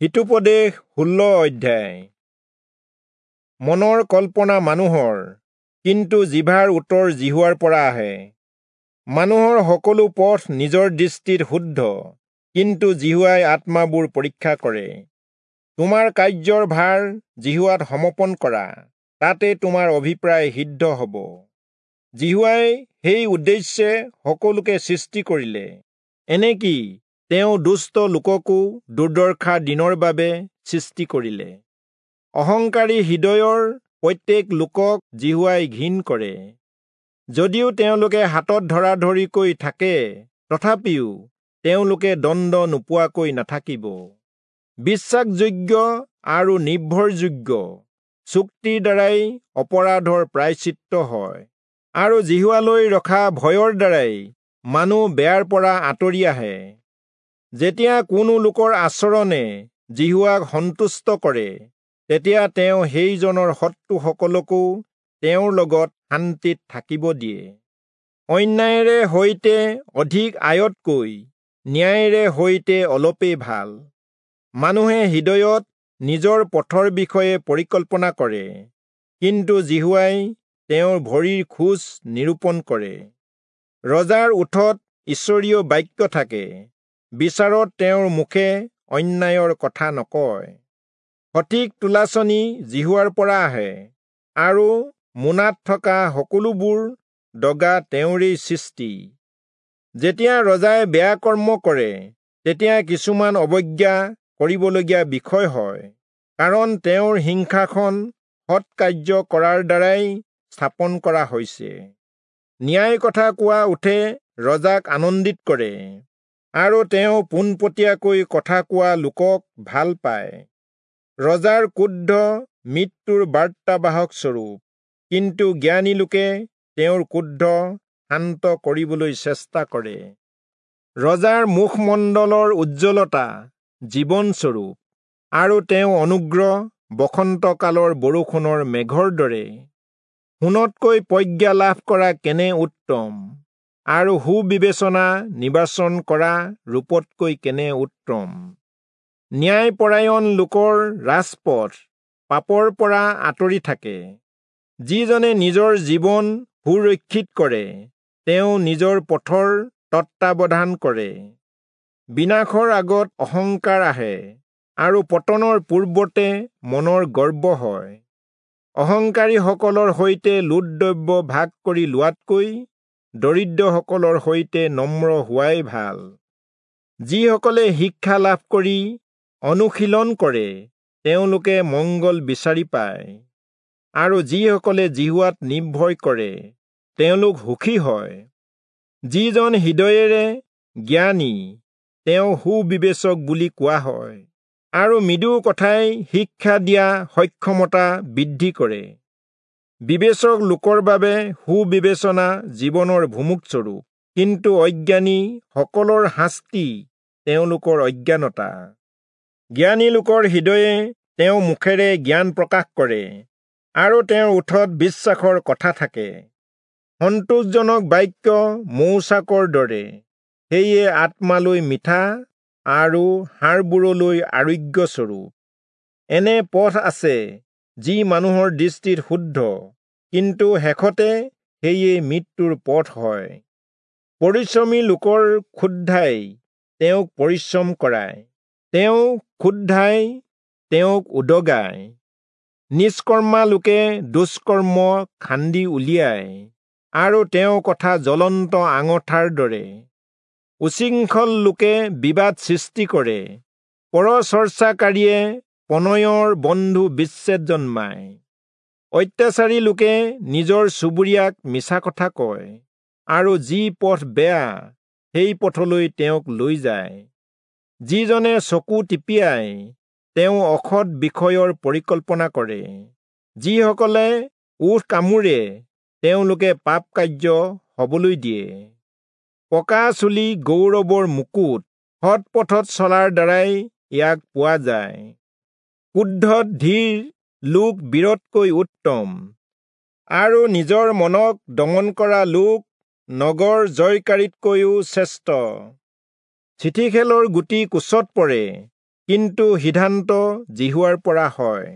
হিতোপদেশ 16 অধ্যায়। মনৰ কল্পনা মানুহৰ, কিন্তু জিভাৰ উত্তৰ যিহোৱাৰ পৰা আহে। মানুহৰ সকলো পথ নিজৰ দৃষ্টিত শুদ্ধ, কিন্তু যিহোৱাই আত্মাবোৰ পৰীক্ষা কৰে। তোমাৰ কাৰ্যৰ ভাৰ যিহোৱাত সমৰ্পণ কৰা, তাতে তোমাৰ অভিপ্ৰায় সিদ্ধ হ'ব। যিহোৱাই সেই উদ্দেশ্যে সকলোকে সৃষ্টি কৰিলে, এনেকি তেওঁ দুষ্ট লোককো দুৰ্দশাৰ দিনৰ বাবে সৃষ্টি কৰিলে। অহংকাৰী হৃদয়ৰ প্ৰত্যেক লোকক যিহোৱাই ঘিণ কৰে। যদিও তেওঁলোকে হাতত ধৰাধৰিকৈ থাকে, তথাপিও তেওঁলোকে দণ্ড নোপোৱাকৈ নাথাকিব। বিশ্বাসযোগ্য আৰু নিৰ্ভৰযোগ্য চুক্তিৰ দ্বাৰাই অপৰাধৰ প্ৰায়শ্চিত্ত হয়, আৰু যিহোৱালৈ ৰখা ভয়ৰ দ্বাৰাই মানুহ বেয়াৰ পৰা আঁতৰি আহে। যেতিয়া কোনো লোকৰ আচৰণে যিহোৱাক সন্তুষ্ট কৰে, তেতিয়া তেওঁ সেইজনৰ শত্ৰুসকলকো তেওঁৰ লগত শান্তিত থাকিব দিয়ে। অন্যায়েৰে সৈতে অধিক আয়তকৈ ন্যায়েৰে সৈতে অলপেই ভাল। মানুহে হৃদয়ত নিজৰ পথৰ বিষয়ে পৰিকল্পনা কৰে, কিন্তু যিহোৱাই তেওঁৰ ভৰিৰ খোজ নিৰূপণ কৰে। ৰজাৰ ওঁঠত ঈশ্বৰীয় বাক্য থাকে, বিচাৰত তেওঁৰ মুখে অন্যায়ৰ কথা নকয়। সঠিক তুলাচনী যিহোৱাৰ পৰা আহে, আৰু মোনাত থকা সকলোবোৰ দগা তেওঁৰেই সৃষ্টি। যেতিয়া ৰজাই বেয়া কৰ্ম কৰে, তেতিয়া কিছুমান অৱজ্ঞা কৰিবলগীয়া বিষয় হয়, কাৰণ তেওঁৰ সিংহাসন সৎ কাৰ্য কৰাৰ দ্বাৰাই স্থাপন কৰা হৈছে। ন্যায় কথা কোৱা ওঁঠে ৰজাক আনন্দিত কৰে, আৰু তেওঁ পোনপটীয়াকৈ কথা কোৱা লোকক ভাল পায়। ৰজাৰ ক্ৰোধ মৃত্যুৰ বাৰ্তাবাহক স্বৰূপ, কিন্তু জ্ঞানী লোকে তেওঁৰ ক্ৰোধ শান্ত কৰিবলৈ চেষ্টা কৰে। ৰজাৰ মুখমণ্ডলৰ উজ্জ্বলতা জীৱনস্বৰূপ, আৰু তেওঁ অনুগ্ৰহ বসন্তকালৰ বৰষুণৰ মেঘৰ দৰে। সোণতকৈ প্ৰজ্ঞা লাভ কৰা কেনে উত্তম, আৰু সুবিবেচনা নিৰ্বাচন কৰা ৰূপতকৈ কেনে উত্তম। ন্যায়পৰায়ণ লোকৰ ৰাজপথ পাপৰ পৰা আঁতৰি থাকে। যিজনে নিজৰ জীৱন সুৰক্ষিত কৰে, তেওঁ নিজৰ পথৰ তত্বাৱধান কৰে। বিনাশৰ আগত অহংকাৰ আহে, আৰু পতনৰ পূৰ্বতে মনৰ গৰ্ব হয়। অহংকাৰীসকলৰ সৈতে লুটদ্ৰব্য ভাগ কৰি লোৱাতকৈ দৰিদ্ৰসকলৰ সৈতে নম্ৰ হোৱাই ভাল। যিসকলে শিক্ষা লাভ কৰি অনুশীলন কৰে, তেওঁলোকে মংগল বিচাৰি পায়, আৰু যিসকলে যিহোৱাত নিৰ্ভৰ কৰে, তেওঁলোক সুখী হয়। যিজন হৃদয়েৰে জ্ঞানী, তেওঁ সুবিবেচক বুলি কোৱা হয়, আৰু মৃদু কথাই শিক্ষা দিয়া সক্ষমতা বৃদ্ধি কৰে। বিবেচক লোকৰ বাবে সুবিবেচনা জীৱনৰ ভুমুকস্বৰূপ, কিন্তু অজ্ঞানী সকলৰ শাস্তি তেওঁলোকৰ অজ্ঞানতা। জ্ঞানী লোকৰ হৃদয়ে তেওঁ মুখেৰে জ্ঞান প্ৰকাশ কৰে, আৰু তেওঁৰ ওঁঠত বিশ্বাসৰ কথা থাকে। সন্তোষজনক বাক্য মৌচাকৰ দৰে, সেয়ে আত্মালৈ মিঠা আৰু হাড়বোৰলৈ আৰোগ্যস্বৰূপ। এনে পথ আছে যি মানুহৰ দৃষ্টিত শুদ্ধ, কিন্তু শেষতে সেয়ে মৃত্যুৰ পথ হয়। পৰিশ্ৰমী লোকৰ ক্ষুধাই তেওঁক পৰিশ্ৰম কৰায়, তেওঁ ক্ষুধাই তেওঁক উদগায়। নিষ্কৰ্মা লোকে দুষ্কৰ্ম খান্দি উলিয়ায়, আৰু তেওঁৰ কথা জ্বলন্ত আঙঠাৰ দৰে। উচ্ছৃংখল লোকে বিবাদ সৃষ্টি কৰে, পৰচৰ্চাকাৰীয়ে প্ৰণয়ৰ বন্ধু বিচ্ছেদ জন্মায়। অত্যাচাৰী লোকে নিজৰ চুবুৰীয়াক মিছা কথা কয়, আৰু যি পথ বেয়া সেই পথলৈ তেওঁক লৈ যায়। যিজনে চকু টিপিয়াই, তেওঁ অসৎ বিষয়ৰ পৰিকল্পনা কৰে। যিসকলে ওঁঠ কামোৰে, তেওঁলোকে পাপ কাৰ্য হবলৈ দিয়ে। পকা চুলি গৌৰৱৰ মুকুট, সৎ পথত চলাৰ দ্বাৰাই ইয়াক পোৱা যায়। ক্ৰোধত ধীৰ লোক বীৰতকৈ উত্তম, আৰু নিজৰ মনক দমন কৰা লোক নগৰ জয়কাৰীতকৈও শ্ৰেষ্ঠ। চিঠিখেলৰ গুটি কোচত পৰে, কিন্তু সিদ্ধান্ত যিহোৱাৰ পৰা হয়।